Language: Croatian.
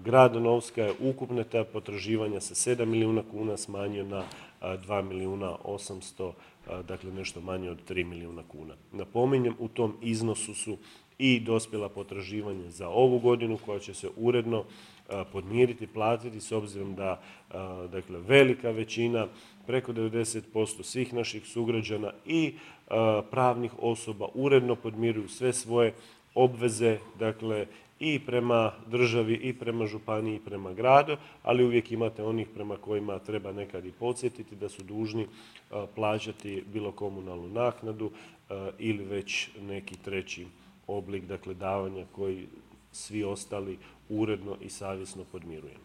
grad Novska je ukupne ta potraživanja sa 7 milijuna kuna smanjio na 2 milijuna 800, dakle nešto manje od 3 milijuna kuna. Napominjem, u tom iznosu su i dospjela potraživanja za ovu godinu koja će se uredno podmiriti, platiti s obzirom da dakle, velika većina, preko 90% svih naših sugrađana i pravnih osoba uredno podmiruju sve svoje obveze, dakle i prema državi i prema županiji i prema gradu, ali uvijek imate onih prema kojima treba nekad i podsjetiti da su dužni plaćati bilo komunalnu naknadu ili već neki treći oblik, dakle davanja koji svi ostali uredno i savjesno podmirujemo.